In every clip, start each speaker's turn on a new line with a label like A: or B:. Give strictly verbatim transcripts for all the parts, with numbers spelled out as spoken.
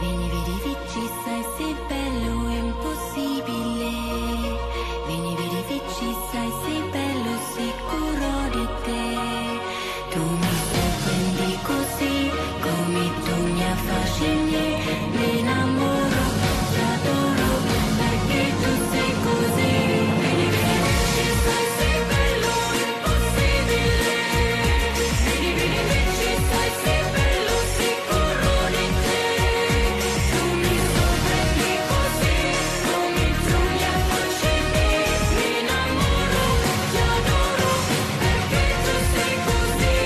A: Vieni, vedi, vici, sai, sei bello, è impossibile. Vieni, vedi, vici, sai, sei bello, sicuro di te. Tu mi sorprendi così, come tu mi affascini, mi innamoro, ti adoro, perché tu sei così. Vieni, vedi, vici, sai, sei bello, è impossibile. Vieni, vedi, vici, sai, sei bello, sicuro di te. Tu mi sorprendi così, come tu mi affascini, mi innamoro, ti adoro, perché tu sei così.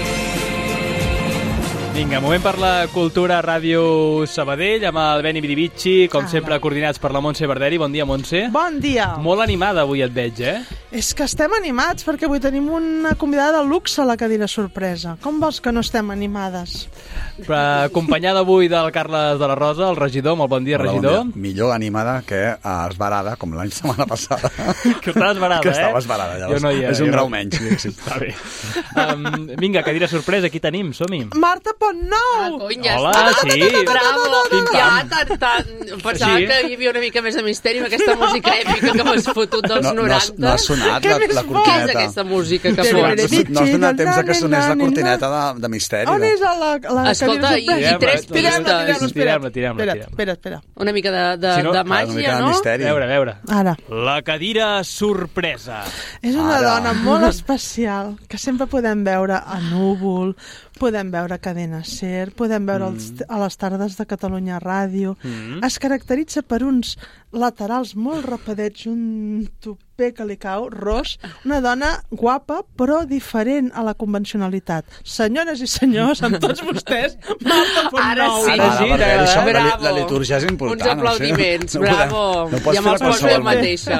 B: Vinga, moment per la cultura a Ràdio Sabadell amb el Beni Bidivicci, com
C: Ah,
B: sempre
C: va.
B: coordinats per la Montse Barderi. Bon dia, Montse.
C: Bon dia.
B: Molt animada avui et veig, eh?
C: És que estem animats perquè avui tenim una convidada de luxe a la cadira sorpresa. Com vols que no estem animades?
B: Però, acompanyada avui del Carles de la Rosa, el regidor. Molt bon dia,
D: Hola,
B: regidor.
D: bon dia. Millor animada que uh, esbarada, com l'any setmana passada.
B: Que estava esbarada,
D: que
B: eh?
D: estava esbarada, llavors.
B: Jo no hi era,
D: és un
B: jo
D: grau
B: no...
D: menys, diguéssim.
B: Està bé. Um, vinga, cadira sorpresa, aquí tenim, som-hi.
C: Marta Pontnou!
E: Ah, cony, ja
B: Hola,
E: està.
B: sí.
E: Bravo.
B: Pim-pam.
E: Ja, tant, tant. Pensava
B: Sí.
E: que hi havia una mica més de misteri amb aquesta música èpica que m'has fotut dels
D: No, no,
E: noranta.
D: no ha sonat
C: Què
D: la,
C: més
D: la
C: vol?
E: Què és
D: cortineta.
E: aquesta música que
C: Què
E: sona?
C: més?
D: No has donat temps a que sonés la cortineta de, de misteri.
C: On
D: no?
C: és a la, la
E: Escolta,
C: cadira
E: i-
C: sorpresa?
E: i tres
C: Tirem-la,
E: pistes.
C: tirem-la,
B: Tirem-la, tirem-la,
C: Espera,
B: tirem-la.
C: espera, espera.
E: Una mica de, de,
B: Si no,
E: de
B: ah,
D: una
E: màgia,
D: mica de
E: no?
D: misteri.
B: A veure, a veure.
C: Ara.
B: La cadira sorpresa.
C: És una
D: Ara.
C: dona molt especial que sempre podem veure a Núvol, podem veure a Cadena Ser, podem veure els, a les tardes de Catalunya Ràdio.
B: Mm.
C: Es caracteritza per uns laterals molt rapadets, un tupé que li cau, ros, una dona guapa però diferent a la convencionalitat. Senyores i senyors, amb tots vostès, Marta Pontnou.
E: Ara sí.
B: Ara sí,
D: perquè
B: t'agrada.
D: això, la,
E: Bravo.
D: la litúrgia és important.
E: Uns aplaudiments,
D: no, sé. no
E: bravo.
D: podem- No pots
E: Ja
D: fer
E: me'ls
D: la
E: poso jo
D: qualsevol
E: mateixa.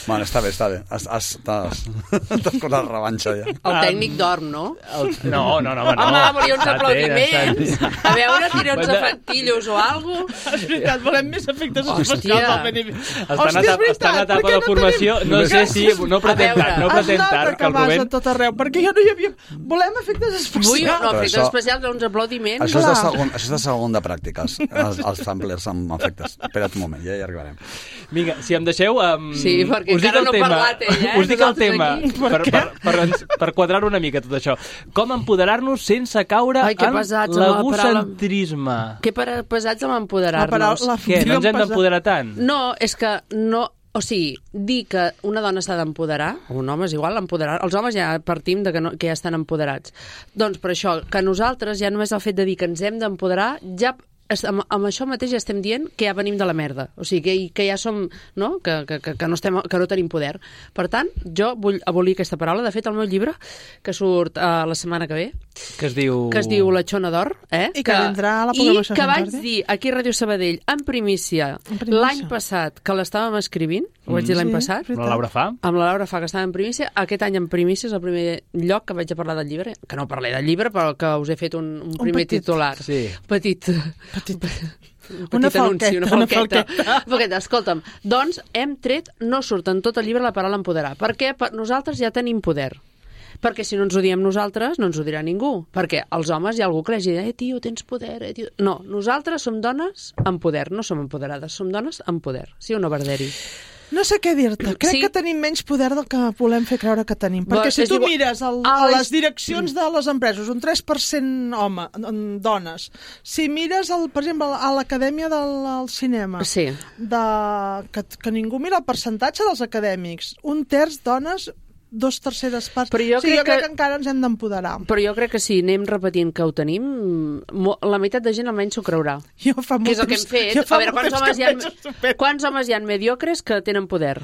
D: Bueno, està bé, està bé. Has, has, t'has, t'has costat la revanxa ja.
E: El tècnic dorm, no?
B: El... No, no, no, home, no.
E: Home, volia uns
B: Està bé,
E: aplaudiments.
B: està bé.
E: A veure, tira uns
B: Bueno.
E: efectillos o alguna cosa.
C: És veritat, volem més efectes
E: Hòstia.
C: especials al Benny.
B: Està en
C: Hòstia, és
B: etapa,
C: veritat,
B: està en etapa
C: per què
B: de
C: no
B: formació.
C: tenim-
B: No sé si... No pretén
E: A veure.
B: tant, no
C: Es
B: pretén
C: nota
B: tant,
C: que
B: que el
C: vas a
B: Rubén...
C: tot arreu, perquè jo no hi havia... Volem efectes
E: Vull,
C: especials.
E: no,
D: Però
E: efectes
D: això-
E: especials, uns aplaudiments.
D: Això és, de
C: Clar.
D: segon, això és de segon de pràctiques, els, els samplers amb efectes. Espera't un moment, ja hi arribarem.
B: Vinga, si em deixeu... Um,
E: Sí, perquè
B: us dic
E: encara
B: el
E: no ha
B: tema,
E: parlat ella, eh?
B: Us dic el
E: Nosaltres
B: tema,
E: aquí.
B: per, per, per, per, per quadrar una mica tot això. Com empoderar-nos sense caure
E: Ai, que
B: en
E: pesats amb la
B: l'egocentrisme?
E: Que per, pesats amb
C: La
E: empoderar-nos.
C: paraula- la
B: Què, no ens hem
C: pesa-
B: d'empoderar tant?
E: No, és que no... O sigui, dir que una dona s'ha d'empoderar, o un home és igual, empoderar... Els homes ja partim de que, no, que ja estan empoderats. Doncs per això, que nosaltres ja només el fet de dir que ens hem d'empoderar, ja es- amb, amb això mateix ja estem dient que ja venim de la merda. O sigui, que, que ja som... No? Que, que, que, que, no estem, que no tenim poder. Per tant, jo vull abolir aquesta paraula. De fet, el meu llibre, que surt uh, la setmana que ve,
B: Que es diu...
E: que es diu La Xona d'Or, eh?
C: I que vindrà a la
E: I
C: programació
E: que
C: Sant
E: vaig
C: Jordi.
E: dir aquí a Ràdio Sabadell, en primícia,
C: En primícia.
E: l'any passat, que l'estàvem escrivint, ho vaig dir l'any
C: Sí,
E: passat,
C: veritat.
B: La Laura fa?
E: amb la Laura fa que estava en primícia, aquest any en primícia és el primer lloc que vaig a parlar del llibre, que no parlé del llibre, però que us he fet un, un primer
C: petit.
E: titular.
B: Sí.
E: Petit.
C: Petit.
E: Un petit
C: Una
E: anunci, una
C: falqueta, una
E: falqueta.
C: falqueta.
E: falqueta. Escolta'm, doncs hem tret, no surt en tot el llibre la paraula empoderar, perquè per nosaltres ja tenim poder. Perquè si no ens ho diem nosaltres, no ens ho dirà ningú. Perquè els homes hi ha algú que li dirà, eh, tio, tens poder, eh, tio... No, nosaltres som dones amb poder, no som empoderades, som dones amb poder. Sí o no, Barderi?
C: No sé què dir-te. Crec
E: Sí.
C: que tenim menys poder del que volem fer creure que tenim.
E: Bé,
C: Perquè si
E: és
C: tu
E: igual-
C: mires el,
E: Ah,
C: a
E: és-
C: les direccions de les empreses, un tres per cent home, en dones. Si mires, el, per exemple, a l'Acadèmia del al cinema,
E: Sí.
C: de, que, que ningú mira el percentatge dels acadèmics, un terç dones, dos terceres parts.
E: Però jo
C: o sigui, jo
E: crec
C: crec
E: que-
C: que encara ens hem d'empoderar.
E: Però jo crec que si anem repetint que ho tenim, mo- la meitat de gent almenys s'ho creurà.
C: Jo fa molt
E: Que és el que hem
C: temps-
E: fet.
C: jo fa
E: A veure,
C: molt
E: quants
C: temps
E: homes,
C: que
E: hi ha,
C: penso estupend.
E: quants homes hi ha mediocres que tenen poder?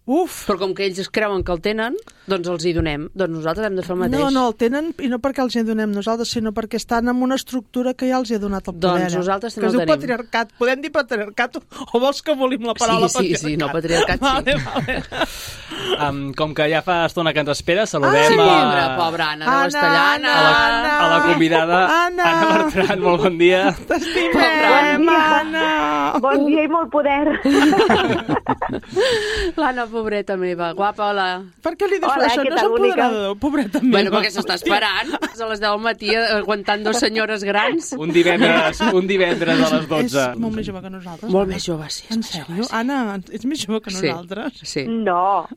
C: Uf!
E: Però com que ells es creuen que el tenen, doncs els hi donem. Doncs nosaltres hem de fer el mateix.
C: No, no, el tenen, i no perquè els hi donem nosaltres, sinó perquè estan en una estructura que ja els hi ha donat el poder.
E: Doncs
C: eh?
E: nosaltres
C: que
E: també
C: es
E: el
C: diu
E: tenim.
C: patriarcat. Podem dir patriarcat o vols que abolim la paraula
E: Sí, sí,
C: patriarcat?
E: sí, no, patriarcat sí.
C: Vale, vale.
B: Um, com que ja fa estona que ens espera, saludem
E: Sí,
B: a...
E: pobra, pobra Anna de
C: Anna,
E: Castellana.
B: a la, a la convidada
C: Anna.
B: Anna Bertran, molt bon dia.
C: T'estimem, Anna!
F: Bon dia i molt poder.
E: L'Anna, pobreta meva. Guapa, hola.
C: Per què li dius
F: Hola,
C: això?
F: què
C: No és
F: tal, bonica?
C: empoderador, pobreta meva.
E: Bueno, perquè s'està esperant. És a les deu del matí aguantant dos senyores grans.
B: Un divendres, un divendres a les
C: És
B: dotze.
C: molt més jove que nosaltres.
E: Molt més jove, sí.
C: En sèrio? Anna, ets més jove que
E: Sí.
C: nosaltres?
E: Sí.
F: No,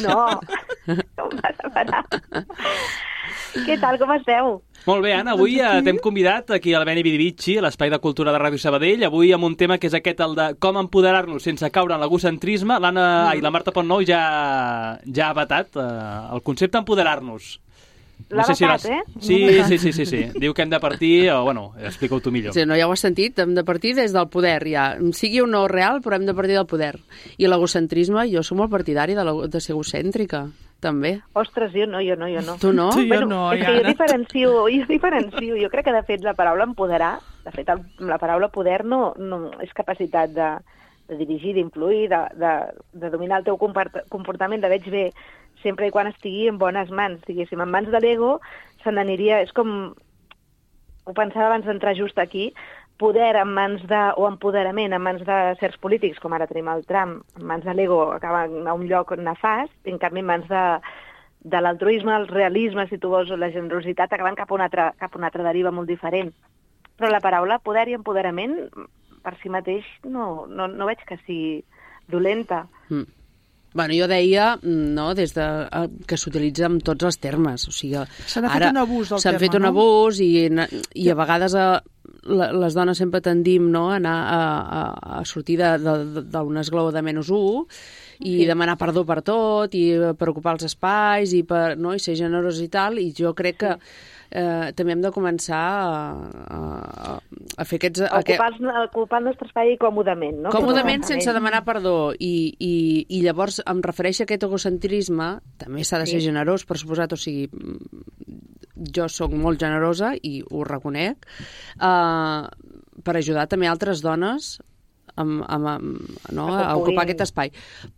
F: no. No em vas a parar. Què tal, com esteu?
B: Molt bé, Anna, avui
C: Doncs aquí-
B: eh, t'hem convidat aquí al Beni Vidivici, a l'Espai de Cultura de Ràdio Sabadell, avui amb un tema que és aquest, el de com empoderar-nos sense caure en l'egocentrisme. L'Anna mm. i la Marta Pontnou ja, ja ha vetat eh, el concepte empoderar-nos.
F: L'ha vetat,
B: l'has-
F: eh?
B: Sí, sí, sí, sí, sí. Diu que hem de partir, o, bueno, explica-ho tu millor.
E: Sí, no, ja ho has sentit, hem de partir des del poder, ja. Sigui o no real, però hem de partir del poder. I l'egocentrisme, jo soc molt partidari de, la- de ser egocèntrica, també.
F: Ostres, jo no, jo no, jo no.
E: Tu no?
C: Tu- Jo
F: bueno,
C: no,
F: és
C: ja,
F: que jo
C: Anna.
F: diferencio, jo diferencio. Jo crec que, de fet, la paraula empoderar, de fet, el, la paraula poder no, no és capacitat de, de dirigir, d'influir, de, de, de dominar el teu comport- comportament, de veig bé, sempre i quan estigui en bones mans. Diguéssim, en mans de l'ego se n'aniria... És com... Ho pensava abans d'entrar just aquí, poder en mans de... o empoderament en mans de certs polítics, com ara tenim el Trump, en mans de l'ego acaben a un lloc nefast, i en canvi en mans de, de l'altruisme, el realisme, si tu vols, o la generositat, acaben cap a una altra, cap a una altra deriva molt diferent. Però la paraula poder i empoderament, per si mateix, no, no, no veig que sigui dolenta.
E: Mm. Bueno, jo deia, no, des de, eh, que s'utilitza en tots els termes. O sigui,
C: Se n'ha fet
E: ara
C: un abús del
E: s'han
C: terme,
E: fet un
C: no?
E: abús i, i a vegades a, la, les dones sempre tendim, no, a anar a, a, a sortir de- de- d'un esglaó de menys un i demanar perdó per tot i per ocupar els espais i, per, no, i ser generós i tal, i jo crec que eh, també hem de començar a, a, a fer aquests...
F: A
E: aquest-
F: ocupar, el, ocupar el nostre espai còmodament, no?
E: Còmodament,
F: Com a
E: sense
F: aparent.
E: demanar perdó. I, i, I llavors em refereixo a aquest egocentrisme, també s'ha de ser
F: Sí.
E: generós, per suposat, o sigui, jo sóc molt generosa i ho reconec, eh, per ajudar també altres dones amb, amb, amb, no,
F: A que
E: a ocupar
F: puguin-
E: aquest espai.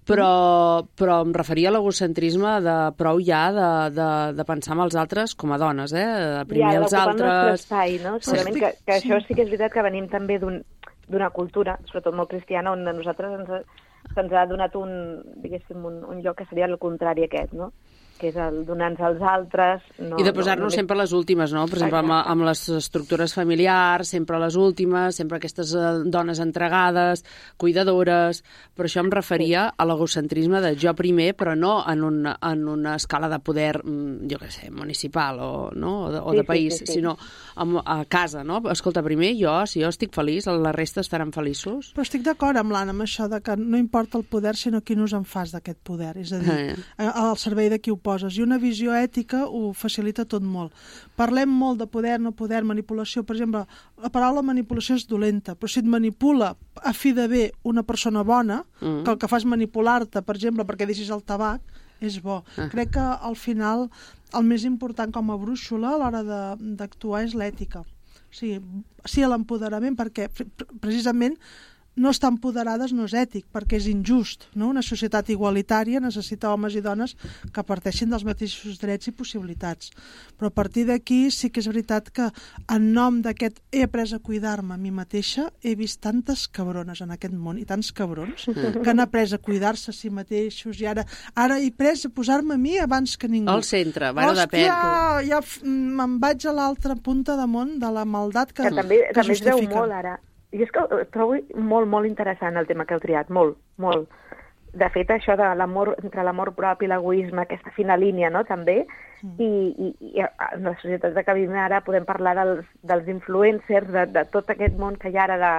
E: Però, però em referia a l'egocentrisme de prou ja de, de, de pensar en els altres com a dones, eh? De primer
F: Ja,
E: els
F: d'ocupar el nostre
E: altres...
F: espai, no? Segurament que, que això sí que és veritat que venim també d'un d'una cultura, sobretot molt cristiana, on a nosaltres ens, ha- se'ns ha donat un, diguéssim, un, un lloc que seria el contrari aquest, no? Que és el donar-nos als altres... No,
E: I de posar-nos
F: no,
E: sempre a les últimes, no? Per exemple, amb,
F: Exacte.
E: amb les estructures familiars, sempre a les últimes, sempre aquestes eh, dones entregades, cuidadores... Per això em referia a l'egocentrisme de jo primer, però no en una, en una escala de poder, mm, jo què sé, municipal o, no? o de, o
F: Sí,
E: de
F: sí,
E: país,
F: sí, sí.
E: sinó a, a casa, no? Escolta, primer jo, si jo estic feliç, la resta estaran feliços.
C: Però estic d'acord amb l'Anna, amb això de que no importa el poder, sinó qui nos en fas d'aquest poder. És a dir,
E: Eh.
C: eh, al servei de qui ho poses. I una visió ètica ho facilita tot molt. Parlem molt de poder, no poder, manipulació. Per exemple, la paraula manipulació és dolenta, però si et manipula a fi de bé una persona bona,
E: Mm.
C: que el que fa és manipular-te, per exemple, perquè deixis el tabac, és bo.
E: Ah.
C: Crec que al final el més important com a brúixola a l'hora de- d'actuar és l'ètica. O sigui, sí a l'empoderament, perquè pre- pre- precisament no estar empoderades no és ètic, perquè és injust. No? Una societat igualitària necessita homes i dones que parteixin dels mateixos drets i possibilitats. Però a partir d'aquí sí que és veritat que en nom d'aquest he après a cuidar-me a mi mateixa, he vist tantes cabrones en aquest món i tants cabrons que han après a cuidar-se a si mateixos i ara, ara he après a posar-me a mi abans que ningú.
E: Al centre, bueno,
C: Hòstia,
E: depèn.
C: ja f- me'n vaig a l'altra punta de món de la maldat que,
F: que també,
C: que
F: també es veu
C: justifica.
F: molt ara. I és que ho trobo molt, molt interessant el tema que heu triat, molt, molt. De fet, això de l'amor, entre l'amor propi i l'egoisme, aquesta fina línia, no?, també,
C: Mm.
F: i, i, i en la societat que vivim ara podem parlar dels, dels influencers, de, de tot aquest món que hi ha ara de,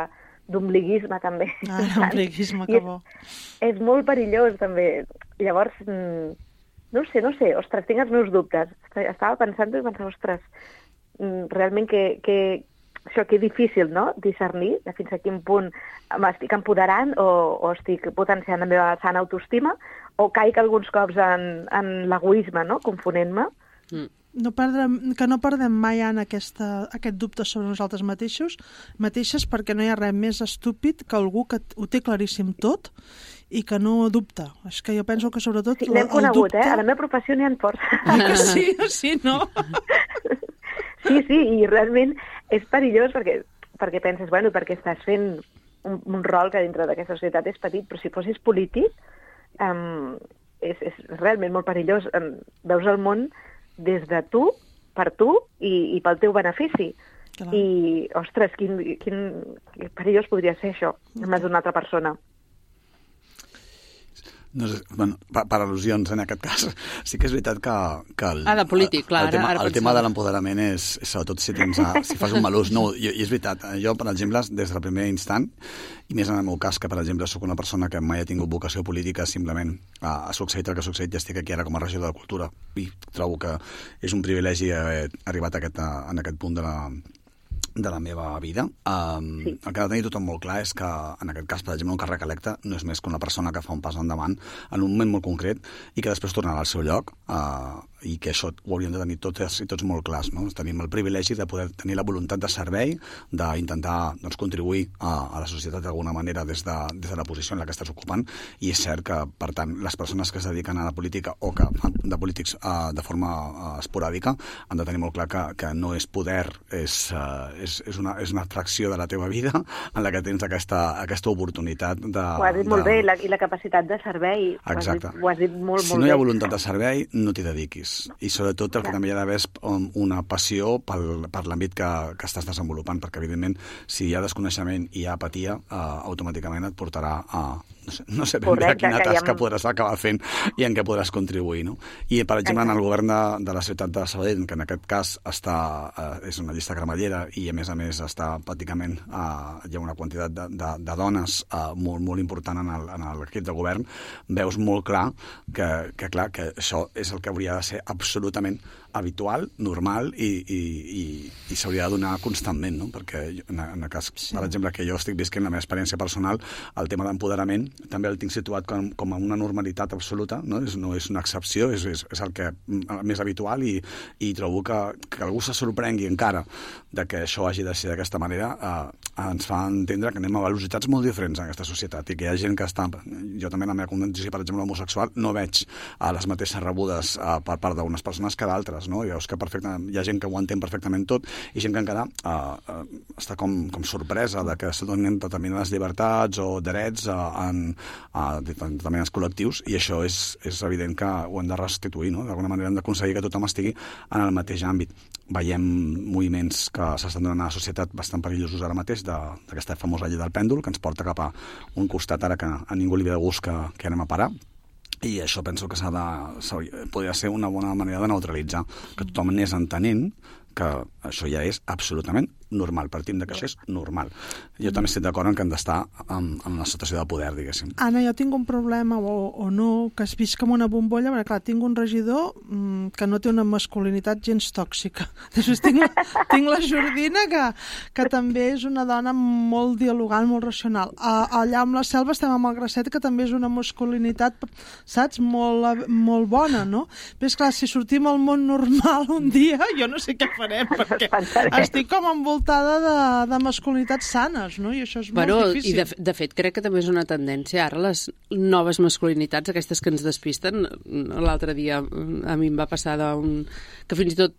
F: d'ombliguisme, també.
C: Ah, l'ombliguisme,
F: I
C: que
F: és-
C: bo.
F: És molt perillós, també. Llavors, mm, no ho sé, no ho sé, ostres, tinc els meus dubtes. Estava pensant i pensava, ostres, mm, realment que, que, això que és difícil, no?, discernir de fins a quin punt m'estic empoderant o, o estic potenciant la meva sana autoestima o caic alguns cops en, en l'egoisme, no?, confonent-me.
E: Mm.
C: No perdrem, que no perdem mai en aquesta, aquest dubte sobre nosaltres mateixos, mateixes, perquè no hi ha res més estúpid que algú que ho té claríssim tot i que no dubta. És que jo penso que sobretot
F: Sí,
C: la-
F: l'hem
C: el
F: conegut,
C: dubte...
F: eh? A la meva professió n'hi ha força.
C: Ah, que sí, sí, no?
F: Sí, sí, i realment és perillós perquè, perquè penses, bueno, perquè estàs fent un, un rol que dintre d'aquesta societat és petit, però si fossis polític, um, és, és realment molt perillós. Um, veus el món des de tu, per tu i, i pel teu benefici.
C: Clar.
F: I, ostres, quin, quin, quin perillós podria ser això, en mans d'una altra persona.
D: No sé, bueno, per, per al·lusions, en aquest cas, sí que és veritat que... que el,
E: Ah, de polític, clar,
D: el, el tema,
E: ara, ara
D: el tema de l'empoderament és, és sobretot si, tens, si fas un mal ús. No, i, i és veritat, jo, per exemple, des del primer instant, i més en el meu cas, que, per exemple, sóc una persona que mai ha tingut vocació política, simplement ha, ha succeït el que ha succeït, ja estic aquí ara com a regidor de Cultura, i trobo que és un privilegi haver arribat a aquest, a, en aquest punt de la de la meva vida. Um, sí. El que ha de tenir tothom molt clar és que, en aquest cas, per exemple, un càrrec electe no és més que una persona que fa un pas endavant en un moment molt concret i que després tornarà al seu lloc, uh, i que això ho hauríem de tenir tots i tots molt clars, no? Tenim el privilegi de poder tenir la voluntat de servei, d'intentar doncs, contribuir a, a la societat d'alguna manera des de, des de la posició en la que estàs ocupant, i és cert que, per tant, les persones que es dediquen a la política o que fan de polítics uh, de forma uh, esporàdica han de tenir molt clar que, que no és poder, és, uh, és, és, una, és una fracció de la teva vida en la que tens aquesta, aquesta oportunitat de...
F: Ho has dit molt
D: de...
F: bé, la, i la capacitat de servei.
D: Exacte.
F: Ho has dit, ho has dit molt,
D: si
F: molt
D: no hi ha
F: bé.
D: voluntat de servei, no t'hi dediquis. I sobretot el que també hi ha d'haver és una passió pel, per l'àmbit que, que estàs desenvolupant, perquè evidentment si hi ha desconeixement i hi ha apatia, eh, automàticament et portarà a... No sé, no sé ben bé
F: Correcte,
D: quina
F: que
D: tasca
F: ja...
D: podràs acabar fent i en què podràs contribuir, no? I, per exemple, en el govern de, de la ciutat de Sabadell, que en aquest cas està, eh, és una llista cremallera i, a més a més, està pràcticament, eh, hi ha una quantitat de, de, de dones eh, molt, molt important en el, en l'equip de govern, veus molt clar que, que, clar, que això és el que hauria de ser absolutament habitual, normal i, i, i, i s'hauria de donar constantment, no? Perquè en, en el cas, sí. Per exemple, que jo estic visquent la meva experiència personal, el tema d'empoderament també el tinc situat com, com a una normalitat absoluta, no és, no és una excepció, és, és, és el que més habitual, i, i trobo que, que algú se sorprengui encara de que això hagi de ser d'aquesta manera, eh, ens fa entendre que anem a velocitats molt diferents en aquesta societat i que hi ha gent que està... Jo també en la meva condició, per exemple, homosexual, no veig eh, les mateixes rebudes eh, per part d'unes persones que d'altres, no? I veus que perfectament, hi ha gent que ho entén perfectament tot i gent que encara eh, eh, està com, com sorpresa de que se donen determinades llibertats o drets eh, en a determinats col·lectius, i això és, és evident que ho hem de restituir, no? D'alguna manera hem d'aconseguir que tothom estigui en el mateix àmbit. Veiem moviments que s'estan donant a la societat bastant perillosos ara mateix, d'aquesta famosa llei del pèndol, que ens porta cap a un costat ara que a ningú li ve de gust que, que anem a parar. I això penso que s'ha de, podria ser una bona manera de neutralitzar, que tothom anés entenent que això ja és absolutament normal, partim de que això és normal. Jo també estic d'acord en que hem d'estar en, en una situació de poder, diguéssim.
C: Anna, jo tinc un problema, o, o no, que es visc com una bombolla, perquè clar, tinc un regidor mmm, que no té una masculinitat gens tòxica. Després tinc, tinc la Jordina, que, que també és una dona molt dialogant, molt racional. A, allà amb la Selva estem amb el Gracet, que també és una masculinitat, saps, molt, molt bona, no? Però és clar, si sortim al món normal un dia, jo no sé què farem, perquè estic com envoltada de, de masculinitats sanes, no? I això és
E: bueno,
C: molt difícil.
E: I de, de fet crec que també és una tendència ara les noves masculinitats, aquestes que ens despisten. L'altre dia a mi em va passar d'un... que fins i tot...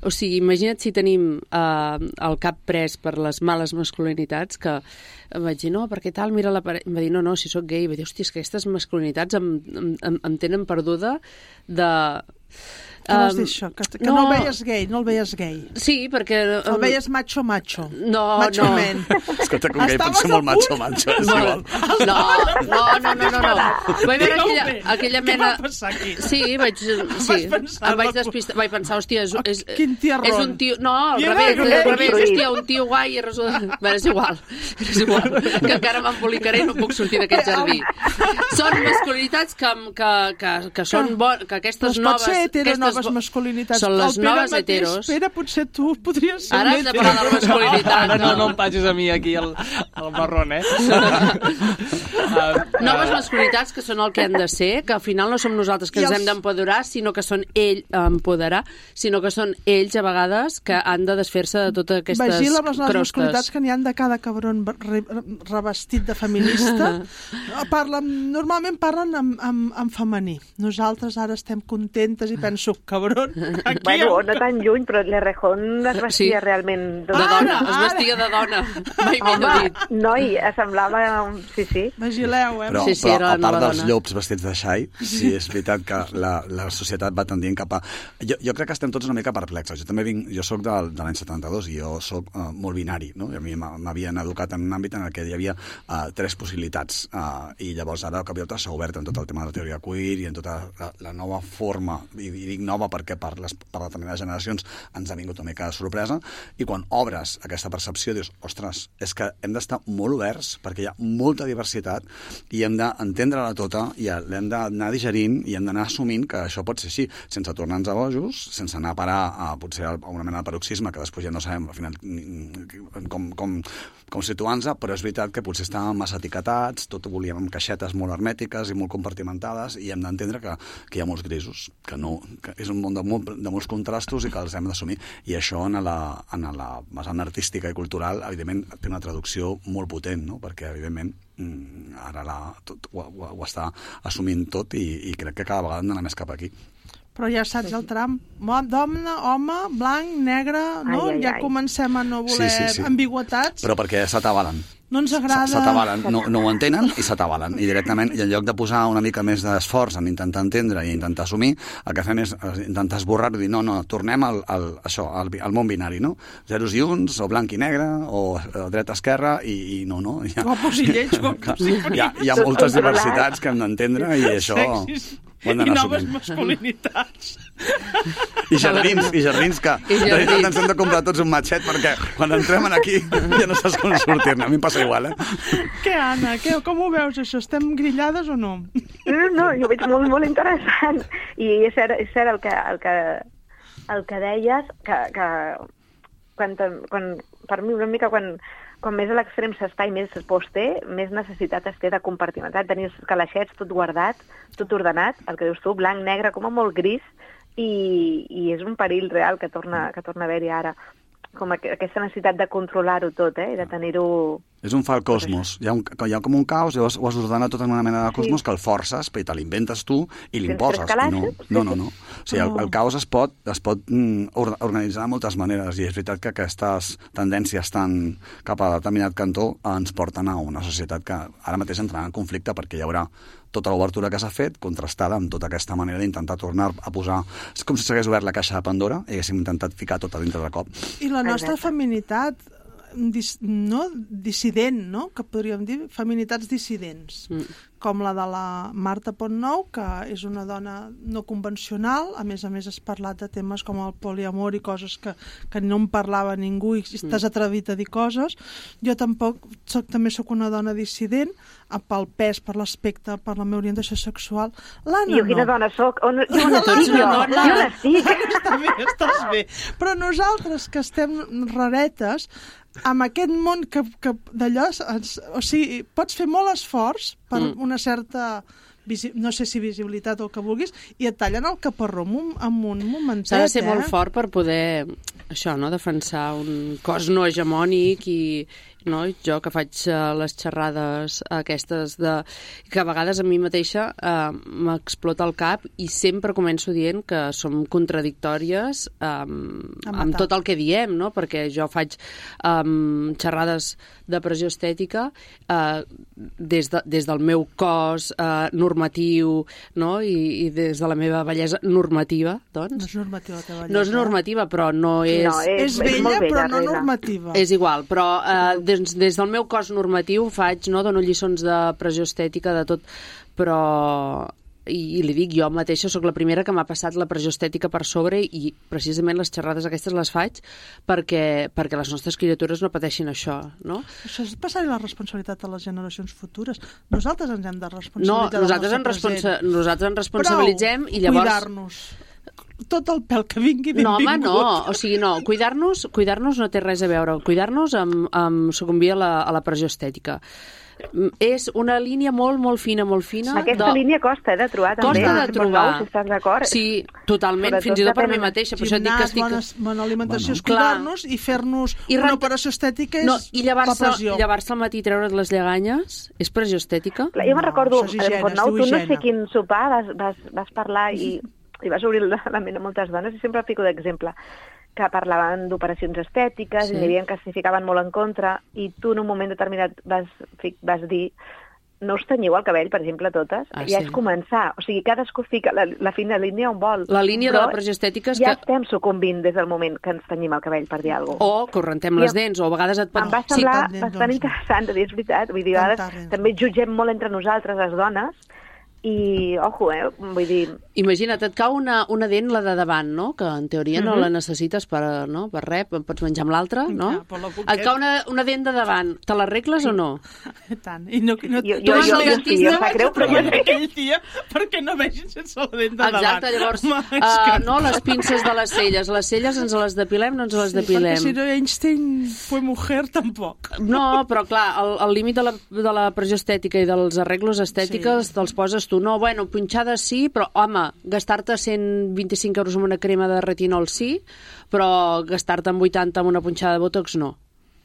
E: O sigui, imagina't si tenim eh, el cap pres per les males masculinitats, que em vaig dir, no, perquè tal, mira la parella... Em va dir, no, no, si sóc gay. I va dir, hòstia, és que aquestes masculinitats em, em, em tenen perduda de...
C: Què vols dir això? Que, que no, no el veies gay, no el veies gay.
E: Sí, perquè... Um...
C: El veies macho-macho.
E: No,
C: macho
E: no.
C: Man.
D: Escolta, com gay pot ser molt macho-macho, és
E: no.
D: igual.
E: No, no, no, no, no, no. Vaig veure aquella, aquella mena...
C: Què va passar aquí?
E: Sí, vaig... Sí, em vaig despistar, vaig pensar, hòstia, és, és,
C: Quin tiarrón.
E: és un tio... No, al revés, al revés, hòstia, un tio guai i resulta... Bé, és igual, és igual, que encara m'embolicaré i no puc sortir d'aquest jardí. Són masculinitats que, que, que, que són bones, que aquestes
C: doncs
E: noves...
C: Pot ser hetero,
E: aquestes
C: noves masculinitats.
E: Són les
C: el Pere
E: noves
C: mateix,
E: heteros.
C: Pere, potser tu podries ser
E: Ara
C: un
E: has de
C: hetero.
E: parlar de la masculinitat.
B: Ara no, no em passis a mi aquí el, el marrón, eh? uh,
E: Noves masculinitats que són el que han de ser, que al final no som nosaltres que
C: I
E: ens
C: els-
E: hem d'empoderar, sinó que són ell empoderar, sinó que són ells a vegades que han de desfer-se de totes aquestes
C: Vigila amb les noves
E: crostes.
C: masculinitats, que n'hi han de cada cabron re, revestit de feminista. Parlen, normalment parlen en, en, en femení. Nosaltres ara estem contentes i penso, cabrón. Aquí
F: Bueno,
C: el-
F: no tan lluny, però l'Errejón es vestia
E: Sí.
F: realment...
E: De
C: Ara,
E: dona, es
C: ara.
E: vestia de dona. Mai millor dit.
F: Noi, semblava... un- Sí, sí.
C: Vigileu, eh?
D: Però,
E: Sí, sí,
D: però
E: era
D: a
E: la
D: part
E: nova
D: dels
E: dona.
D: llops vestits de xai, sí, és veritat que la, la societat va tendint cap a... Jo, jo crec que estem tots una mica perplexos. Jo també vinc, jo sóc del, de l'any setanta-dos i jo sóc uh, molt binari, no? I a mi m'ha- m'havien educat en un àmbit en el que hi havia uh, tres possibilitats uh, i llavors ara el cop i volta s'ha obert en tot el tema de la teoria queer i en tota la, la nova forma, i, i dic nova perquè per, les, per determinades generacions ens ha vingut una mica de sorpresa, i quan obres aquesta percepció dius, ostres, és que hem d'estar molt oberts perquè hi ha molta diversitat i hem d'entendre-la tota i l'hem d'anar digerint i hem d'anar assumint que això pot ser així, sense tornar-nos a bojos, sense anar a parar a, potser a una mena de paroxisme que després ja no sabem al final com, com, com situar-nos, però és veritat que potser estàvem massa etiquetats, tot ho volíem amb caixetes molt hermètiques i molt compartimentades, i hem d'entendre que, que hi ha molts grisos, que, no, que és un món de, molt, de molts contrastos i que els hem d'assumir, i això en la, en la vessant artística i cultural evidentment té una traducció molt potent, no? Perquè evidentment ara la, tot, ho, ho, ho està assumint tot i, i crec que cada vegada hem d'anar més cap aquí.
C: Però ja saps el tram. Mo- Dona, home, blanc, negre, no?
F: Ai, ai,
C: ja
F: ai.
C: comencem a no voler
D: Sí, sí, sí.
C: ambigüetats.
D: Però perquè s'atabalen.
C: No ens agrada...
D: S'atabalen, no, no ho entenen i s'atabalen. I directament, i en lloc de posar una mica més d'esforç en intentar entendre i intentar assumir, el que fem és eh, intentar esborrar-ho i dir, no, no, tornem al, al, això, al, al món binari, no? Zeros i uns, o blanc i negre, o, o dreta-esquerra, i, i no, no. Hi ha,
C: Guapos i lleig, guapos i
D: hi ha, hi ha moltes diversitats que hem d'entendre i això
C: Sexis
D: ho hem
C: i
D: d'anar
C: noves
D: assumint.
C: masculinitats.
D: I jardins, i jardins que
E: I
D: de
E: jardins.
D: veritat ens hem de comprar tots un matxet perquè quan entrem en aquí ja no saps com sortir-ne. A mi em passa igual, eh?
C: Què, Anna? Què, com ho veus, això? Estem grillades o no?
F: No, no, jo ho veig molt, molt interessant. I és cert, és cert el, que, el, que, el que deies, que, que quan, te- quan, per mi una mica quan, quan més a l'extrem s'està i més por es té, més necessitat es té de compartimentar, tenir els calaixets tot guardat, tot ordenat, el que dius tu, blanc, negre, com a molt gris, i, i és un perill real que torna, que torna a haver-hi ara. Com aqu aquesta necessitat de controlar-ho tot, eh? I de tenir-ho...
D: És un fal cosmos. Hi ha, un, hi ha com un caos, llavors ho has ordenat tot en una mena de cosmos
F: Sí.
D: que el forces, però te l'inventes tu i
F: Tens
D: l'imposes.
F: tres
D: I No,
F: calaixos?
D: no, no, no. O sigui, el, el caos es pot, es pot mm, or- organitzar de moltes maneres i és veritat que aquestes tendències tan cap a determinat cantó ens porten a una societat que ara mateix entrarà en conflicte perquè hi haurà tota l'obertura que s'ha fet contrastada amb tota aquesta manera d'intentar tornar a posar... És com si s'hagués obert la caixa de Pandora i haguéssim intentat ficar tot a dintre de cop.
C: I la nostra
F: Exacte.
C: feminitat dis, no? dissident, no? Que podríem dir feminitats dissidents, mm. com la de la Marta Pontnou, que és una dona no convencional, a més a més has parlat de temes com el poliamor i coses que, que no en parlava ningú i estàs atrevit a dir coses. Jo tampoc, soc, també sóc una dona dissident, pel pes, per l'aspecte, per la meva orientació sexual. L'Anna
F: I jo quina
C: no.
F: dona soc? On, jo on
E: Tu ets
F: estic,
E: una
F: jo?
E: dona.
F: Jo on estic?
C: Està bé, estàs bé. Però nosaltres, que estem raretes, amb aquest món que, que d'allò... ens- O sigui, pots fer molt esforç per
E: Mm.
C: una certa... visi- no sé si visibilitat o el que vulguis, i et tallen el caparró amb un, amb un momentet,
E: S'ha de ser
C: eh?
E: molt fort per poder, això, no?, defensar un cos no hegemònic i, no?, jo que faig uh, les xerrades aquestes de... que a vegades a mi mateixa uh, m'explota el cap i sempre començo dient que som contradictòries um,
C: A
E: amb
C: matar.
E: tot el que diem, no?, perquè jo faig um, xerrades de pressió estètica uh, des, de, des del meu cos uh, normatiu, no?, I, i des de la meva bellesa normativa,
C: No
E: doncs.
C: és normativa, la teva
E: No és
C: lletra.
E: normativa, però no és...
F: No, és,
C: És bella,
F: molt
C: però no
F: Reina.
C: normativa.
E: És igual, però eh, des, des del meu cos normatiu faig, no, dono lliçons de pressió estètica, de tot, però... I, i li dic, jo mateixa sóc la primera que m'ha passat la pressió estètica per sobre i precisament les xerrades aquestes les faig perquè, perquè les nostres criatures no pateixin això, no?
C: Això és passar-hi la responsabilitat a les generacions futures. Nosaltres ens hem de
E: No,
C: responsabilitzar
E: nosaltres,
C: del
E: en
C: nostre
E: responsa
C: present.
E: nosaltres ens responsabilitzem i llavors...
C: cuidar-nos. Tot el pèl que vingui,
E: No,
C: benvingut.
E: home, no. O sigui, no. Cuidar-nos cuidar-nos no té res a veure. Cuidar-nos amb, amb sucumbir a la, a la pressió estètica. Mm, És una línia molt, molt fina, molt fina.
F: Aquesta
E: de...
F: línia costa eh, de trobar, també.
E: Costa de
F: Si
E: trobar.
F: nou, si estàs d'acord.
E: Sí, totalment,
F: Sobretot
E: fins i tot per
F: depèn
E: mi
F: de-
E: mateixa. Per això et dic que
C: Gimnàs,
E: estic...
C: bona, bona alimentació,
D: Bueno.
C: és cuidar-nos i fer-nos
E: I
C: una
E: rent-
C: operació estètica és
E: No, i
C: la
E: llevar-se
C: pressió.
E: llevar-se al matí i treure't les lleganyes és pressió estètica?
F: Clar, jo me'n
C: No,
F: recordo,
C: això és higiene,
F: eh, Portnau,
C: es diu
F: tu no
C: higiene.
F: sé quin sopar vas, vas, vas parlar i i vas obrir la, la ment a moltes dones, i sempre fico d'exemple, que parlaven d'operacions estètiques,
E: Sí.
F: i n'hi havia que s'hi ficaven molt en contra, i tu en un moment determinat vas, vas dir no us tenyiu el cabell, per exemple, totes,
E: Ah,
F: ja
E: sí.
F: és començar. O sigui, cadascú fica la, la fina línia on vol.
E: La línia de
F: Però
E: la pressió estètica és
F: ja
E: que...
F: estem sucumbint des del moment que ens tenyim el cabell, per dir alguna cosa.
E: O que rentem les dents, o a vegades et pot...
F: Em va
C: Sí,
F: semblar
C: tant, doncs,
F: bastant
C: no.
F: interessant de dir, és veritat. Vull dir, a
C: Tanta
F: vegades
C: renta.
F: també jutgem molt entre nosaltres, les dones, i, ojo, eh, vull dir...
E: Imagina't, et cau una, una dent, la de davant, no? Que en teoria no
F: Mhm.
E: la necessites per, no? per res, pots menjar amb l'altra, no?
C: Ja, però la boqueta.
E: Et cau una, una dent de davant, te l'arregles o no?
C: I tant. I no, no,
F: Jo-
E: jo-
C: vas
E: jo
C: al
E: sí,
C: dentista,
F: em sap
C: vaig
F: greu,
C: a
F: però jo
C: treballar
F: sí.
C: aquell dia perquè no vegin sense la dent de davant.
E: Exacte, llavors,
C: Home, és
E: uh,
C: que-
E: no, les pinces de les celles. Les celles ens les depilem, no ens les
C: Sí,
E: depilem.
C: perquè si no Einstein fue mujer, tampoc.
E: No, però clar, el, el límit de la, de la pressió estètica i dels arreglos estètiques
C: Sí.
G: te'ls poses tu. No, bueno, punxades sí, però, home, gastar-te cent vint-i-cinc euros en una crema de retinol sí, però gastar-te en vuitanta en una punxada de botox no.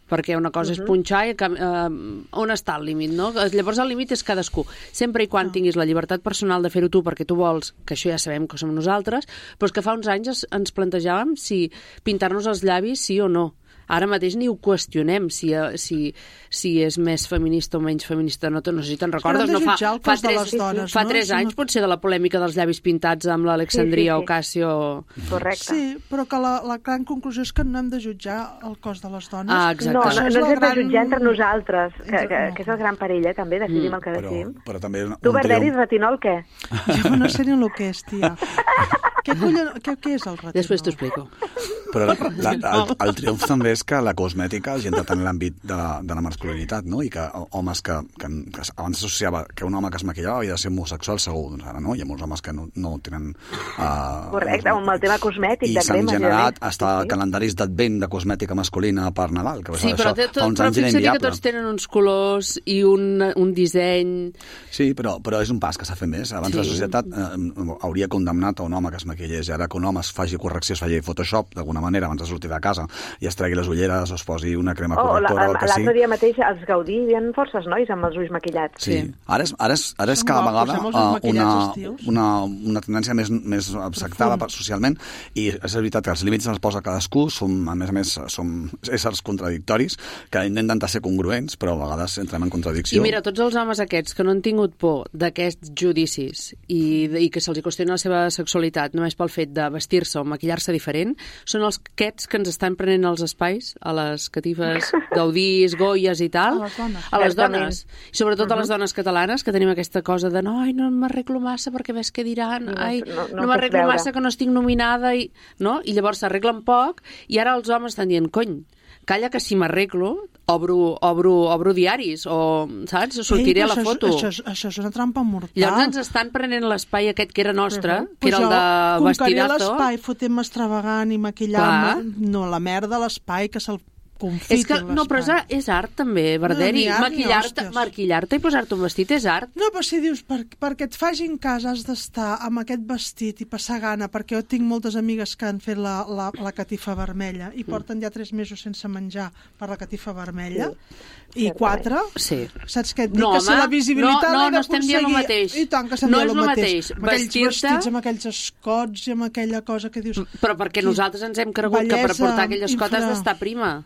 G: Perquè una cosa uh -huh. és punxar i eh, on està el límit, no? Llavors el límit és cadascú. Sempre i quan no. tinguis la llibertat personal de fer-ho tu perquè tu vols, que això ja sabem que som nosaltres, però és que fa uns anys es, ens plantejàvem si pintar-nos els llavis sí o no. Ara mateix ni ho qüestionem, si, si, si és més feminista o menys feminista. No, no sé si te'n recordes.
C: Però hem de
E: No, fa,
C: jutjar el
E: fa
C: cos de
E: tres,
C: les dones,
E: fa
C: no?
E: tres
C: Si
E: anys
C: no-
E: potser de la polèmica dels llavis pintats amb l'Alexandria
F: Sí, sí, sí.
E: Ocasio.
F: Correcte.
C: Sí, però que la, la gran conclusió és que no hem de jutjar el cos de les dones.
E: Ah, exacte.
F: No, no,
C: Això
F: no
C: és
F: ens
C: la
F: hem de
C: gran-
F: jutjar entre nosaltres, que,
C: Entre-
F: que,
C: no.
F: que és el gran perill, eh, també, decidim
E: Mm.
F: el que
D: Però,
F: decidim.
D: però també un,
F: Tu,
D: un
F: Berderi,
D: triomf.
F: retinol, què?
C: Jo no sé ni el que és, tia. Què, collon, què, què és el retinol?
E: Després t'ho explico.
D: Però la, la, el, el triomf també és que la cosmètica hagi entrat en l'àmbit de, de la masculinitat, no? I que homes que, que, que abans s'associava que un home que es maquillava havia de ser homosexual segur, doncs ara no, hi ha molts homes que no, no tenen... Uh,
F: Correcte, amb el tema cosmètic,
D: i
F: de
D: s'han
F: cremes i de
D: generat
F: més.
D: hasta
F: Sí, sí.
D: calendaris d'advent de cosmètica masculina per Nadal, que
E: Sí,
D: això,
E: però, té,
D: fa
E: tot,
D: uns
E: però
D: anys era
E: fixa't que
D: inviable.
E: tots tenen uns colors i un, un disseny...
D: Sí, però, però és un pas que s'ha fet més. Abans
E: Sí.
D: la societat eh, hauria condemnat a un home que es maquillés, i ara que un home es faci correcció, es faci Photoshop d'alguna manera abans de sortir de casa i es tregui les ulleres o es posi una crema
F: Oh, la-
D: correctora o el que sigui.
F: l'altre dia mateix als Gaudí hi havia forces nois amb els ulls maquillats.
D: Sí.
E: Sí.
D: Ara és, ara és, ara és
C: Són
D: cada
C: guapos,
D: vegada
C: eh, molts
D: uh,
C: maquillats,
D: una,
C: els tios.
D: una, una tendència més, més acceptada per, socialment, i és veritat que els límits els posa cadascú, som, a més a més som éssers contradictoris que intenten ser congruents, però a vegades entrem en contradicció.
E: I mira, tots els homes aquests que no han tingut por d'aquests judicis i, i que se'ls qüestiona la seva sexualitat només pel fet de vestir-se o maquillar-se diferent, són els aquests que ens estan prenent els espais a les catifes Gaudís, Goyes i tal.
C: A les dones.
E: A les
F: Certament.
E: dones. I sobretot a les dones catalanes, que tenim aquesta cosa de no, ai, no m'arreglo massa perquè ves què diran,
F: No,
E: ai,
F: no-
E: no,
F: no ho
E: m'arreglo
F: pots veure.
E: massa que no estic nominada, i, no? I llavors s'arreglen poc, i ara els homes estan dient, cony, calla que si m'arreglo obro, obro, obro diaris o, saps, sortiré
C: Ei,
E: a la
C: això és-
E: foto.
C: Això és, això és una trampa mortal.
E: Llavors ens estan prenent l'espai aquest que era nostre, que
C: Pues
E: era el de
C: jo conqueriré
E: vestidazo.
C: l'espai fotent-me extravagant i maquillant-me. No, la merda de l'espai que se'l confiti
E: És que, no, però és,
C: l'espai.
E: art- és art també, Berderi.
C: ni art ni
E: Maquillar-te
C: hòsties.
E: maquillar-te i posar-te un vestit és art.
C: No, però si dius, per, perquè et facin cas has d'estar amb aquest vestit i passar gana, perquè jo tinc moltes amigues que han fet la, la, la catifa vermella i porten ja tres mesos sense menjar per la catifa vermella, i quatre,
E: Sí.
C: saps què et dic?
E: No,
C: que si
E: home,
C: la visibilitat
E: no, no,
C: l'he
E: no estem dient el
C: d'aconseguir-
E: mateix.
C: I tant que estem
E: No
C: dient
E: és
C: el
E: el
C: mateix.
E: mateix.
C: Amb aquells
E: Vestir-te-
C: vestits, amb aquells escots i amb aquella cosa que dius...
E: Però perquè nosaltres ens hem cregut que per
C: Bellesa
E: portar aquell escot has
C: infra-
E: d'estar prima.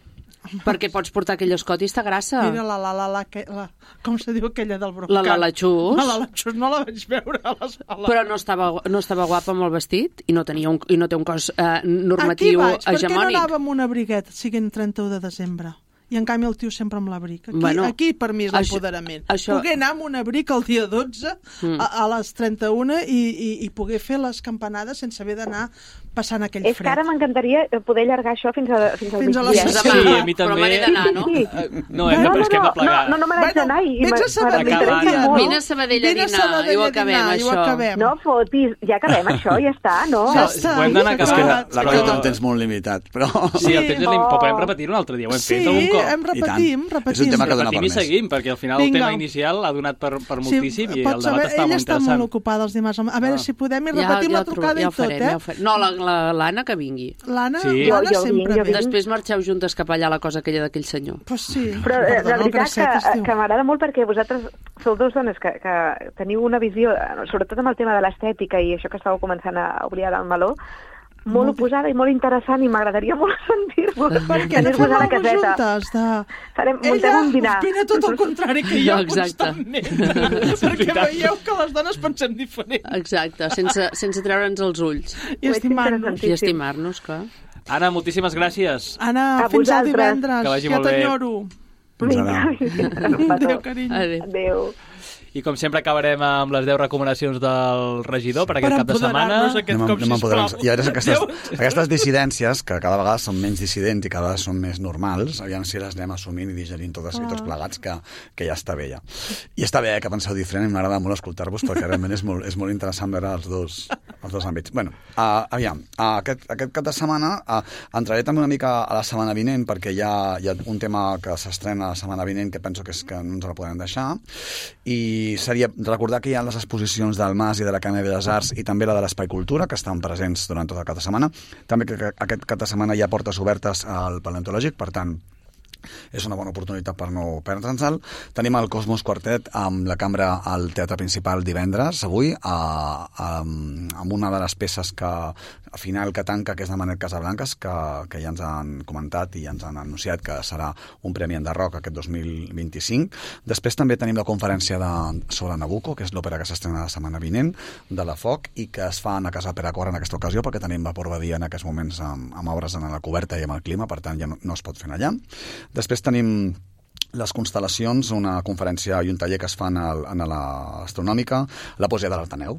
E: Perquè pots portar aquell escot i està grassa.
C: Mira la la la la, que, la com se diu aquella del Brocat?
E: La la la Xus.
C: La la la Xus no la vaig veure a les, a la...
E: Però no estava, no estava guapa amb el vestit i no, tenia un, i no té un cos eh, normatiu
C: Aquí vaig, per què no
E: hegemònic.
C: anava amb un abriguet siguin trenta-u de desembre? I en canvi el tio sempre amb l'abric. Aquí,
E: Bueno,
C: aquí per mi és
E: això-
C: l'empoderament.
E: això-
C: Poder anar amb un abric el dia dotze
E: Mm.
C: a, a les trenta-una i, i, i poder fer les campanades sense haver d'anar passant aquell
F: És que
C: fred.
F: ara m'encantaria poder allargar això fins, a, fins al
C: Fins a les
F: migdia.
C: sis.
B: Sí,
E: Demà,
B: a mi
E: però
B: també.
E: me n'he d'anar, no?
F: Sí.
B: No, hem de, però és que hem de plegar.
F: no, no, no me n'haig
C: Bueno,
F: d'anar i
C: vés a
F: m'ha-
C: Sabadell
F: m'interessa
B: a dinar.
F: molt.
E: Vine a Sabadell a
C: Vine a
E: dinar
C: Sabadell
E: i ho
C: a
E: acabem,
C: dinar, i ho
E: això.
C: acabem.
F: No fotis, ja acabem això, ja està, no?
C: Ja està.
B: Ho hem d'anar
C: s'ha
D: És que la,
B: acabat.
C: acabat.
D: la
B: Però-
D: cosa té un temps molt limitat, però...
B: Sí, el temps és lim...
F: Oh.
B: però podem repetir-ho un altre dia, ho hem
C: Sí,
B: fet, algun Nabucco.
C: hem repetim, repetim.
D: És un tema que dona
B: Repetim
D: per
B: i
D: més.
B: seguim, perquè al final
C: Vinga.
B: el tema inicial ha donat per, per moltíssim
C: sí,
B: i
C: pots
B: el
C: saber,
B: debat està
C: ella
B: molt
C: està
B: interessant.
C: molt ocupada els dimarts. A veure
B: Ah.
C: si podem i repetim la trucada
E: ja
C: i tot,
E: farem,
C: eh?
E: Ja ho farem. No, la- la- l'Anna que vingui.
C: L'Anna
B: Sí.
C: l'Anna
F: Jo- jo
C: sempre
F: vinc, jo
C: ve.
F: vinc.
E: Després marxeu juntes cap allà a la cosa aquella d'aquell senyor.
C: Pues sí.
F: Però eh,
C: Perdona,
F: la
C: el
F: veritat
C: bracet es
F: que,
C: diu.
F: que m'agrada molt perquè vosaltres sou dos dones que, que teniu una visió, eh, sobretot amb el tema de l'estètica i això que estàveu començant a obrir ara el meló, molt oposada i molt interessant i m'agradaria molt sentir-vos.
C: Perquè no fem alguna juntes de...
F: Farem, muntem
C: Ella
F: un dinar.
C: opina tot el contrari que jo
E: Exacte.
C: constantment. Perquè veieu que les dones pensem diferent.
E: Exacte, sense, sense treure'ns els ulls.
C: I estimar-nos.
E: I estimar-nos, clar.
B: Anna, moltíssimes gràcies.
C: Anna,
F: A
C: fins al
F: vosaltres.
C: divendres.
B: Que vagi
C: Ja
B: molt bé.
C: t'enyoro.
D: Fins ara.
C: Adéu, carinyo.
E: Adéu.
F: Adéu.
B: I com sempre acabarem amb les deu recomanacions del regidor per aquest
C: Per
B: cap de setmana.
C: empoderar-nos aquest
D: Anem,
C: cop,
D: anem empoderant-nos.
C: sisplau.
D: I ara aquestes, aquestes dissidències, que cada vegada són menys dissidents i cada vegada són més normals, aviam si les anem assumint i digerint totes i tots plegats, que, que ja està bé ja. I està bé eh, que penseu diferent, i m'agrada molt escoltar-vos perquè realment és molt, és molt interessant veure els dos, els dos àmbits. Bueno, uh, aviam, uh, aquest, aquest cap de setmana uh, entraré també una mica a la setmana vinent perquè hi ha, hi ha un tema que s'estrena la setmana vinent que penso que és que no ens la podem deixar, i seria recordar que hi ha les exposicions del Mas i de l'Acadèmia de Belles Arts i també la de l'Espai Cultura, que estan presents durant tot el cap de setmana. També que, que aquest cap de setmana hi ha portes obertes al paleontològic, per tant, és una bona oportunitat per no perdre'ns-el. Tenim el Cosmos Quartet amb la cambra al Teatre Principal divendres, avui, a, a, amb una de les peces que a final que tanca, que és de Manel Casablancas, que, que ja ens han comentat i ja ens han anunciat que serà un premi enderroc aquest dos mil vint-i-cinc. Després també tenim la conferència de, sobre Nabucco, que és l'òpera que s'estrena la setmana vinent, de la Foc, i que es fa a Casa Peracor en aquesta ocasió, perquè tenim vapor badia en aquests moments amb, amb obres en la coberta i amb el clima, per tant ja no, no es pot fer allà. Després tenim les constel·lacions, una conferència i un taller que es fan al, en l'astronòmica, la poesia de l'Artaneu.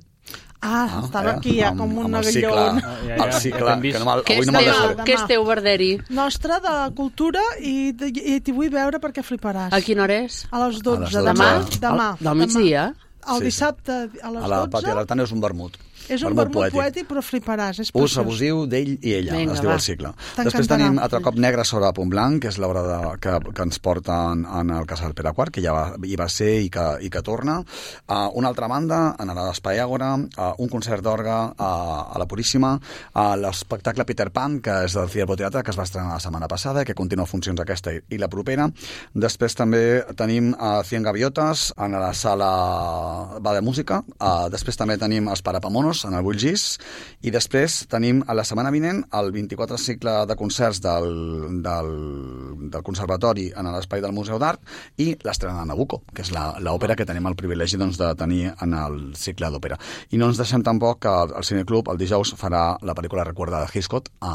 C: Ah,
D: Ah,
C: estava
D: eh?
C: aquí ja
D: Amb-
C: com un
D: amb el cicle,
C: aguillón.
B: Ah, ja, ja,
D: el cicle,
B: ja t'hem vist.
D: que no me'l-
E: Què
D: avui no
E: esteu,
D: me'l
C: deixaré.
D: deixaré.
E: què esteu, Verderi?
C: Nostra de cultura i, de- i t'hi vull veure perquè fliparàs.
E: A quina hora és?
C: A les dotze.
D: A les
C: Demà?
D: dotze.
C: Demà.
E: Al- del migdia?
C: El
D: Sí.
C: dissabte a les
D: A la
C: dotze.
D: Pati de l'Artaneu és un vermut.
C: És un vermut poètic, però fliparàs. És
D: Ús
C: preciós.
D: abusiu d'ell i ella,
E: Vinga,
D: es diu
E: va.
D: el cicle.
C: T'encantarà.
D: Després tenim Altre cop negre sobre Punt Blanc, que és l'obra de- que, que ens porta en, en el Casal Peraquart, que ja va, hi va ser i que, i que torna. Uh, una altra banda, en l'Espai Àgora, uh, un concert d'orgue uh, a la Puríssima, uh, l'espectacle Peter Pan, que és del Ciervo Teatre, que es va estrenar la setmana passada i que continua funcions aquesta i, i la propera. Després també tenim uh, Cien Gaviotes en la sala va de música. Uh, després també tenim els Parapamonos en el Bullgís, i després tenim a la setmana vinent el vint-i-quatre cicle de concerts del, del, del Conservatori en l'Espai del Museu d'Art i l'estrena de Nabucco, que és l'òpera que tenim el privilegi doncs, de tenir en el cicle d'òpera. I no ens deixem tampoc que el Cineclub el dijous farà la pel·lícula Recuerda de Hitchcock a,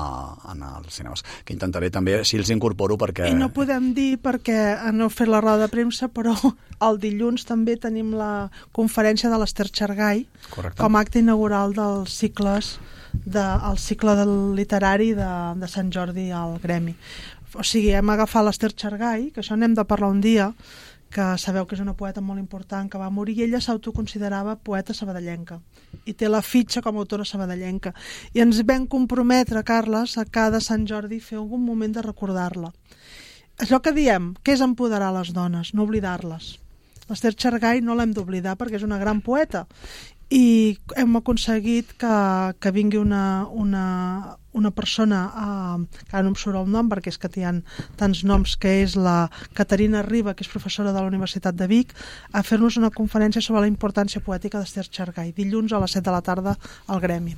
D: en els cinemes, que intentaré també, així els incorporo perquè...
C: I no podem dir perquè no heu fet la roda de premsa, però el dilluns també tenim la conferència de l'Ester Xargai
D: Correcte.
C: com a acte inaugural dels cicles de, el cicle del literari de, de Sant Jordi al Gremi. O sigui, hem agafat l'Ester Xargai, que això n'hem de parlar un dia, que sabeu que és una poeta molt important que va morir, i ella s'autoconsiderava poeta sabadellenca i té la fitxa com a autora sabadellenca, i ens vam comprometre, Carles, a cada Sant Jordi fer algun moment de recordar-la. Allò que diem, que és empoderar les dones, no oblidar-les. L'Ester Xargai no l'hem d'oblidar perquè és una gran poeta, i hem aconseguit que, que vingui una, una, una persona, eh, que ara no em surt el nom perquè és que hi ha tants noms, que és la Caterina Riba, que és professora de la Universitat de Vic, a fer-nos una conferència sobre la importància poètica d'Ester Xargai, dilluns a les set de la tarda al Gremi.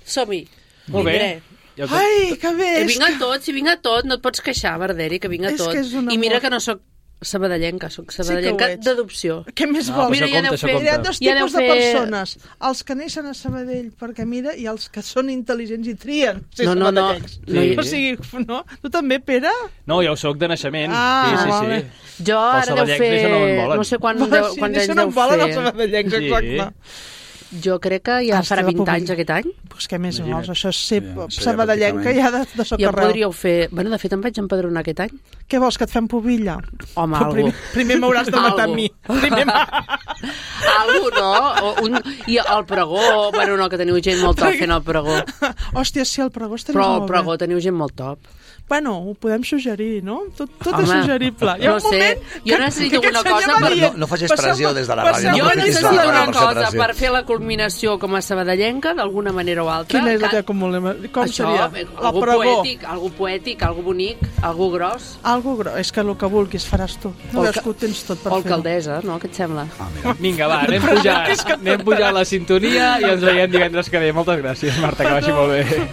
E: Som-hi.
B: Molt bé.
E: Vindré.
B: Ja ho-
C: Ai, que bé!
E: I
C: és
E: vinc a
C: que-
E: tot, si vinc a tot, no et pots queixar, Verderi, que vinc a
C: És
E: tot.
C: que és un
E: I mira
C: amor.
E: que no sóc sabadellenca, sóc
C: Sí
E: sabadellenca
C: que ho ets.
E: d'adopció.
C: Què més
B: No,
C: vols?
B: però
E: Mira,
B: això
E: ja aneu
B: compta, això
E: fent-
B: compta.
C: Hi ha dos
E: Ja aneu
C: tipus de
E: fer-
C: persones, els que neixen a Sabadell perquè mira, i els que són intel·ligents i trien ser
E: No, no, no.
C: sabadellencs.
B: No hi-
C: O sigui, no? Tu també, Pere?
B: No, ja ho soc de naixement.
C: Ah,
B: sí, sí,
C: vale.
B: sí.
E: Jo
B: Els
E: ara deu
B: sabadellencs
E: fer...
B: d'això no en volen.
E: No sé quan,
C: Va,
E: deu,
C: sí,
E: quants
C: d'això
E: anys
C: no
E: deu
C: en volen els
E: fer.
C: sabadellencs,
B: Sí.
C: exacte.
E: Jo crec que ja
C: Hasta
E: farà
C: la
E: vint
C: pública.
E: anys aquest any.
C: Pues què més
B: Imagina't.
C: vols? Això és ser
D: Sí, això ja
C: sabadellenca ja de, de
E: Ja
C: socarreu.
E: podríeu fer... Bueno, de fet, em vaig empadronar aquest any.
C: Què vols, que et fem pubilla?
E: Home,
C: Però
E: algú.
C: primer, primer m'hauràs de matar a
E: Algo.
C: mi. Primer
E: Algú, no? O un, I el pregó, bueno, no, que teniu gent molt top fent el pregó.
C: Hòstia, sí, el pregó estaria
E: Però
C: molt
E: el pregó
C: bé.
E: teniu gent molt top.
C: Bueno, ho podem suggerir, no? Tot, tot
E: Home,
C: és suggerible. Hi ha
E: no
C: un moment
E: sé, jo necessito
C: aquest
E: una
C: senyor
E: cosa
C: va
E: per-
C: dient,
H: No- no facis
C: passeu-me-
H: pressió des de la ràdio,
C: passeu-me-
H: no
E: Jo
H: aprofitis
E: necessito
H: la
E: una
H: per fer
E: cosa
H: pressió.
E: per fer la culminació com a sabadellenca, d'alguna manera o altra.
C: Quina és la
E: que-
C: que acumulem? Com
E: Això,
C: seria?
E: bé,
C: La
E: algú
C: pregó.
E: poètic, algú poètic, algú bonic, algú gros.
C: Algo gros. És que el que vulguis faràs tu. No
E: O
C: veus
E: alca-
C: que ho tens tot per
E: O
C: fer-ho.
E: alcaldessa, no? Què et sembla?
H: Ah, mira.
B: Vinga, va, anem pujant, anem pujant la sintonia i ens veiem divendres que ve. Moltes gràcies, Marta, que vagi molt bé.